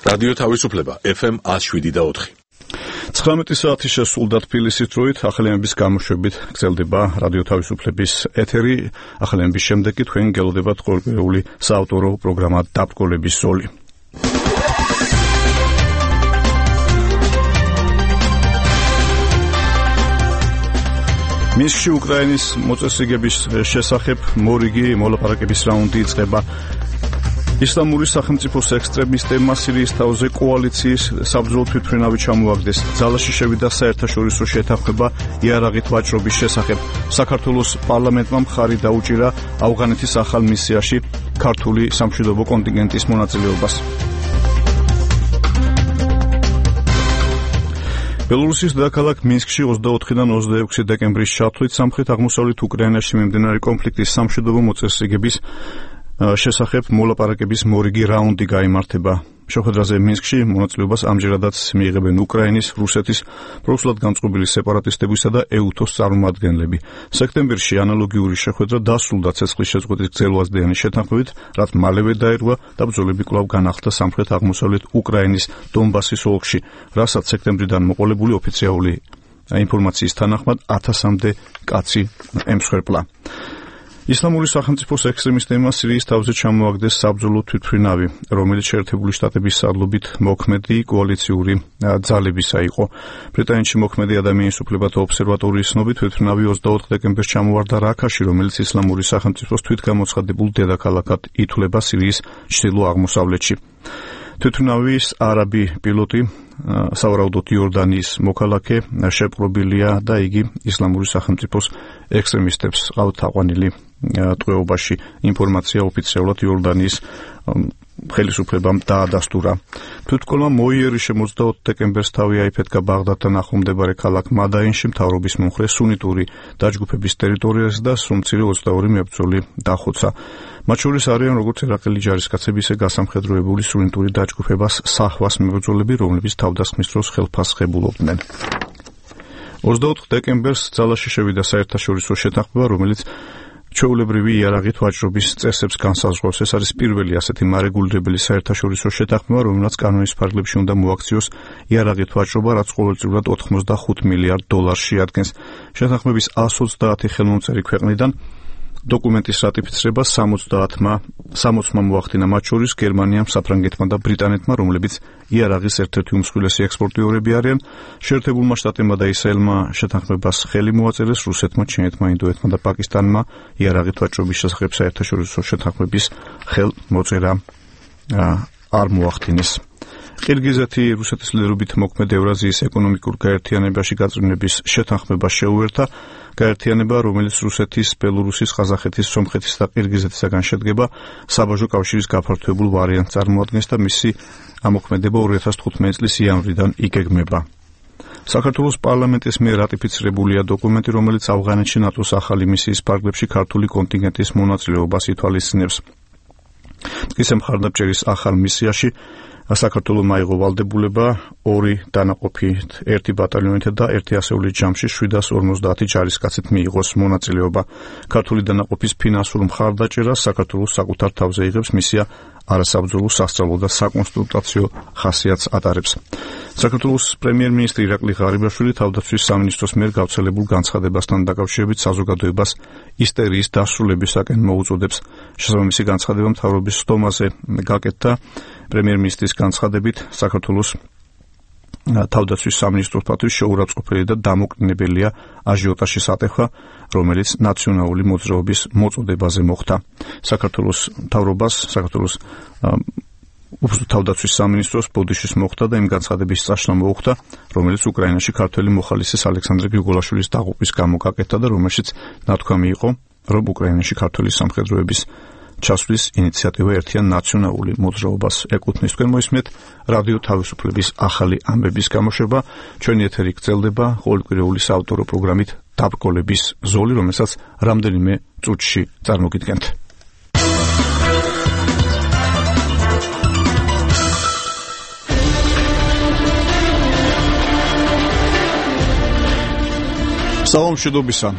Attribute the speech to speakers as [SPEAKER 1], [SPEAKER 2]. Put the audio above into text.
[SPEAKER 1] რადიო თავისუფლება FM 107.4.
[SPEAKER 2] 19 საათი შესრულდა თბილისის დროით, ახალიანების გამოშვებით გრძელდება რადიო თავისუფლების ეთერი. ახალიანების შემდეგ კი თქვენ გელოდებათ ყოველკვირეული საავტორო პროგრამა დაბრკოლების ზოლი. მინსკში უკრაინის მოწესრიგების შესახებ მორიგი მოლაპარაკების რაუნდი იწყება. ისლამური სახელმწიფოს ექსტრემისტებმა სირიის თავზე კოალიციის საბრძოლო თვითმფრინავი ჩამოაგდეს. ძალაში შევიდა საერთაშორისო შეთანხმება იარაღით ვაჭრობის შესახებ. საქართველოს პარლამენტმა მხარი დაუჭირა ავღანეთის ახალ მისიაში ქართული სამშვიდობო კონტინგენტის მონაწილეობას. ბელორუსის დედაქალაქ მინსკში 24-დან 26 დეკემბრის ჩათვლით სამხრეთ-აღმოსავლეთ უკრაინაში მიმდინარე კონფლიქტის სამშვიდობო მოწესრიგების შესახებ მოლაპარაკების მორიგი რაუნდი გაიმართება. შეხვედრაზე მინსკში მონაწილეობას ამჯერადაც მიიღებენ უკრაინის, რუსეთის, პროუსულად განწყობილი სეპარატისტებისა და ეუთოს წარმომადგენლები. სექტემბერში ანალოგიური შეხვედრა დასრულდა ცეცხლის შეწყვეტის გრძელვადიანი შეთანხმებით, რაც მალევე დაირღვა და ბრძოლები კვლავ განახლდა სამხრეთ-აღმოსავლეთ უკრაინის დონბასის ოლქში, რასაც სექტემბრიდან მოყოლებული ოფიციალური ინფორმაციის თანახმად 1000-მდე კაცი ემსხვერპლა. ისლამური სახელმწიფოს ექსტრემისტებმა სირიის თავზე ჩამოაგდეს საბრძოლო თვითმფრინავი, რომელიც შეერთებული შტატების სარდლობით მოქმედი კოალიციური ძალებისა იყო. ბრიტანეთში მოქმედი ადამიანის უფლებათა ობსერვატორიის ცნობით თვითმფრინავი 24 დეკემბერს ჩამოვარდა რაქაში, რომელიც ისლამური სახელმწიფოს თვითგამოცხადებულ დედაქალაქად ითვლება სირიის ჩრდილო-აღმოსავლეთში. თვითმფრინავის არაბი პილოტი, სავარაუდოდ იორდანიის მოქალაქე, შეპყრობილია და იგი ისლამური სახელმწიფოს ექსტრემისტებს ყავთ აყვანილი ტყვეობაში. ინფორმაცია ოფიციალურად იორდანიის ხელისუფლებამ დაადასტურა. თვითმკვლელმა მოიერიშე 24 დეკემბერს თავი აიფეთქა ბაღდადთან ახლომდებარე ქალაქ მადაინში მთავრობის მომხრე სუნიტური დაჯგუფების ტერიტორიაზე და სუმცირე 22 მებრძოლი დახოცა. მათ შორის არიან როგორც ერაყელი ჯარისკაცები, ისე გასამხედროებული სუნიტური დაჯგუფებას საჰვას მებრძოლები, რომლებიც თავდასხმის დროს ხელფასხებულობდნენ. 24 დეკემბერს ძალაში შევიდა საერთაშორისო შეთანხმება, რომელიც ჩვეულებრივი იარაღით ვაჭრობის წესებს განსაზღვრავს. ეს არის პირველი ასეთი მარეგულირებელი საერთაშორისო შეთანხმება, რომელსაც კანონის ფარგლებში უნდა მოაქციოს იარაღით ვაჭრობა, რაც ყოველწლიურად 85 მილიარდ დოლარს შეადგენს. შეთანხმების 130 ხელმომწერი ქვეყნიდან დოკუმენტის რატიფიცირება 60-მა მოახდინა, მათ შორის გერმანიამ, საფრანგეთმა და ბრიტანეთმა, რომლებიც იარაღის ერთ-ერთი უმსხვილესი ექსპორტიორები არიან. შეერთებულმა შტატებმა და ისრაელმა შეთანხმებას ხელი მოაწერეს, რუსეთმა, ჩინეთმა, ინდოეთმა და პაკისტანმა იარაღით ვაჭრობის შესახებ საერთაშორისო შეთანხმების ხელმოწერა არ მოახდინეს. ყირგიზეთი რუსეთის ლიდერობით მოქმედ ევრაზიის ეკონომიკურ გაერთიანებაში გაწვრთნების შეთანხმება შეუერთა. გაერთიანება, რომელიც რუსეთის, ბელორუსის, ყაზახეთის, სომხეთის და ყირგიზეთისაგან შედგება, საბაჟო კავშირის გაფართოებულ ვარიანტს წარმოადგენს და მისი ამოქმედება 2015 წლის იანვრიდან იგეგმება. საქართველოს პარლამენტის მიერ რატიფიცირებულია დოკუმენტი, რომელიც ავღანეთში ნატოს ახალი მისიის ფარგლებში ქართული კონტინგენტის მონაწილეობას ითვალისწინებს. მტკიცე მხარდამჭერის ახალ მისიაში საქართველოს აიღო ვალდებულება 2 დანაყოფით, 1 ბატალიონით და 1 ასეულის ჯამში 750 ჯარისკაცით მიიღოს მონაწილეობა. ქართული დანაყოფის ფინანსურ მხარდაჭერას საქართველოს საკუთარ თავზე იღებს, მისია არასაბრძოლო, სასწავლო და საკონსულტაციო ხასიათს ატარებს. საქართველოს პრემიერ-მინისტრი ირაკლი ღარიბაშვილი თავდაცვის სამინისტროს მიერ გავრცელებულ განცხადებასთან დაკავშირებით საზოგადოებას ისტერიის დასრულებისაკენ მოუწოდებს. შესაბამისი განცხადება მთავრობის სხდომაზე გაკეთდა. პრემიერ-მინისტრის განცხადებით საქართველოს თავდაცვის სამინისტროსთვის შეურაცხყოფელი და დამოკნინებელია აჟიოტაჟის ატეხვა, რომელიც ნაციონალური მოძრაობის მოწოდებაზე მოხდა. საქართველოს მთავრობას, საქართველოს თავდაცვის სამინისტროს ბოდიშის მოხდა და იმ განცხადების წაშლა მოუხდა, რომელიც უკრაინაში ქართველი მოხალისის ალექსანდრე გრიგოლაშვილის დაღუპვის გამო გაკეთდა და რომელშიც ნათქვამი იყო, რომ უკრაინაში ქართველი სამხედროების ჩასვლის ინიციატივა ერთიან ნაციონალური მოძრაობას ეკუთვნის. თქვენ მოისმენთ რადიო თავისუფლების ახალი ამბების გამოშვება. ჩვენი ეთერი გრძელდება ყოველკვირეული საავტორო პროგრამით დაბრკოლების ზოლი, რომელსაც რამდენიმე წუთში წარმოგიდგენთ. სალამ მშვიდობისა.